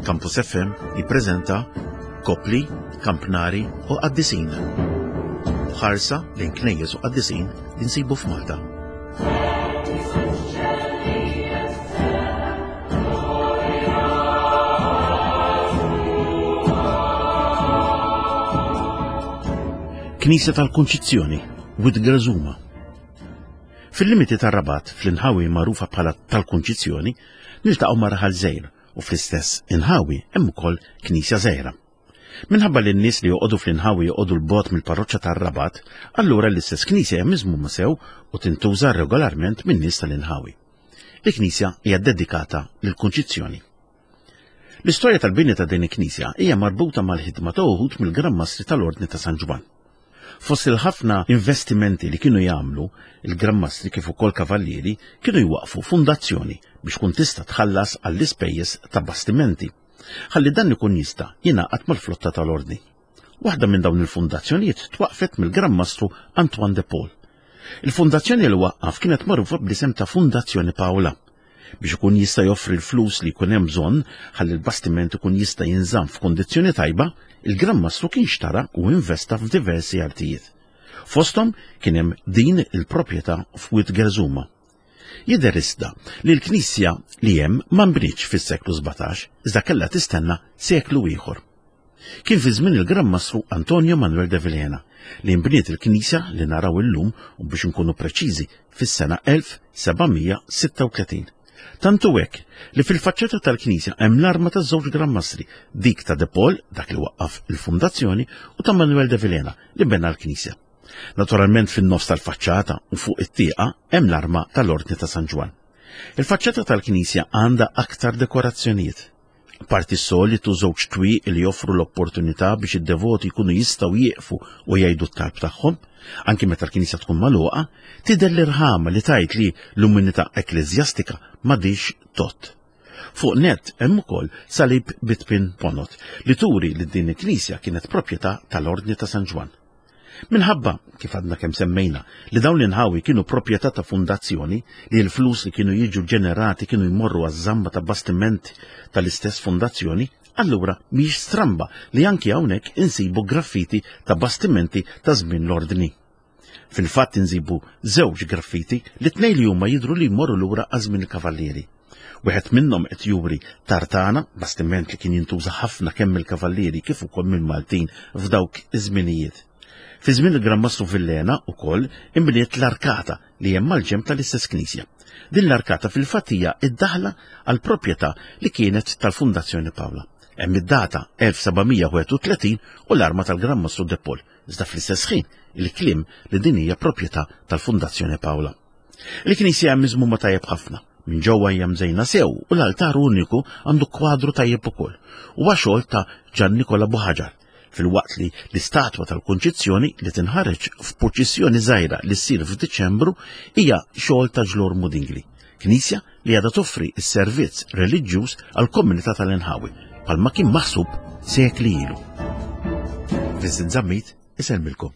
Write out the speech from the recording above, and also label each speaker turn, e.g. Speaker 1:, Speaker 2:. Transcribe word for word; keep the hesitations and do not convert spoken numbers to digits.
Speaker 1: Campus F M jippreżenta Kopli, Kampnari u Qaddisin. Ħarsa lejn knejjes u qaddisin li nsibu f'Malta. Knisja tal-Kunċizzjoni, Wied Gerżuma. Fil-limiti tar-Rabat, fl-inħawi magħrufa bħala tal-Kunċizzjoni, niltaqgħu ma' raħal żgħir u fl-istess inħawi hemm ukoll knisja żgħira. Minħabba li n-nies li joqogħdu fl-inħawi joqogħdu 'l bogħod mill-parroċċa tar-Rabat, allura l-istess knisja hija miżmuma sew u tintuża regolarment min-nies tal-inħawi. Il-knisja hija dedikata lill-Kunċizzjoni. L-istorja tal-bini ta' din il-knisja hija marbuta mal-ħidma ta' uħud mill-Gran Mastri tal-Ordni ta' San Ġwann. Fost il-ħafna investimenti li kienu jagħmlu, il-Gran Mastri kif ukoll kavallieri kienu jwaqfu fundazzjoni biex tkun tista' tħallas għall-ispejjeż ta' bastimenti, ħalli dan ikun jista' jingħaqad mal-flotta tal-Ordni. Waħda minn dawn il-fundazzjonijiet twaqfet mill-Gran Mastru Antoine de Paul. Il-fundazzjoni li waqqaf kienet magħrufa bl-isem ta' Fundazzjoni Paola. Biex ikun jista' joffri l-flus li jkun hemm bżonn ħalli l-bastiment ikun jista' jinżamm f'kondizzjoni tajba, il-Gran Mastru kien xtara u investa f'diversi artijiet. Fosthom kien hemm din il-proprjetà f'Wied Gerżuma. Jidher iżda li l-knisja li hemm ma nbnietx fis-seklu sbatax, iżda kellha tistenna seklu ieħor. Kien fi żmien il-Gran Mastru Antonio Manuel de Vilhena li nbniet il-knisja li naraw illum u biex nkunu preċiżi fis-sena elf seba' mija sitta u tletin. Tantu hekk li fil-faċċata tal-knisja hemm l-arma taż-żewġ Gran Mastri, dik ta' De Paul, dak li waqqaf il-fundazzjoni, u ta' Manuel de Vilhena li bena l-knisja. Naturalment fin-nofs tal-faċċata u fuq it-tieqa hemm l-arma tal-Ordni ta' San Ġwann. Il-faċċata tal-knisja għandha aktar dekorazzjonijiet. Parti solitu żewġ twieq li joffru l-opportunità biex id-devoti jkunu jistgħu jieqfu u jgħidu t-talb tagħhom, anki meta l-knisja tkun magħluqa, tidher l-irħama li tgħid li l-umanità ekkleżjastika m'għadix tott. Fuq net hemm ukoll salib bitpin ponot li turi li din il-knisja kienet proprjetà tal-Ordni ta' San Ġwann. Minħabba, kif għadna kemm semmejna, li dawn l-inħawi kienu proprjetà ta' fundazzjoni li l-flus li kienu jiġu ġenerati kienu jmorru għaż-żamma ta' bastimenti tal-istess fundazzjoni, allura mhix stramba li anki hawnhekk insibu graffiti ta' bastimenti ta' żmien l-ordni. Fil-fatt insibu żewġ graffiti li tnejn li huma jidhru li jmorru lura għal żmien il-kavallieri. Wieħed minnhom qed juri tartana, bastiment li kien jintuża ħafna kemm mill-kavallieri kif ukoll mill-Maltin f'dawk iż-żminijiet. Fi żmien il-Gran Mastru Vilhena ukoll inbniet l-arkata li hemm mal-ġenb tal-istess knisja. Din l-arkata fil-fatt hija id-daħla għal proprjetà li kienet tal-Fundazzjoni Paola. Hemm id-data elf seba' mija wieħed u tletin u l-arma tal-Gran Mastru De Paul, iżda fl-istess ħin il-kliem li din hija proprjetà tal-Fundazzjoni Paola. Il-knisja hemm miżmuma tajjeb ħafna. Minn ġewwa hija mżejna sew u l-altar uniku għandu kwadru tajjeb ukoll. Huwa xogħol ta' Gian Nikola Buħaġar, filwaqt li l-istatwa tal-Kunċizzjoni li tinħareġ f'purċissjoni żgħira li ssir f'Diċembru hija xogħol ta' Ġlor Mudingli, knisja li għadha toffri s-servizz reliġjuż għall-komunità tal-inħawi bħalma kien maħsub sekli ilu. Vincent Zammit isellmilkom.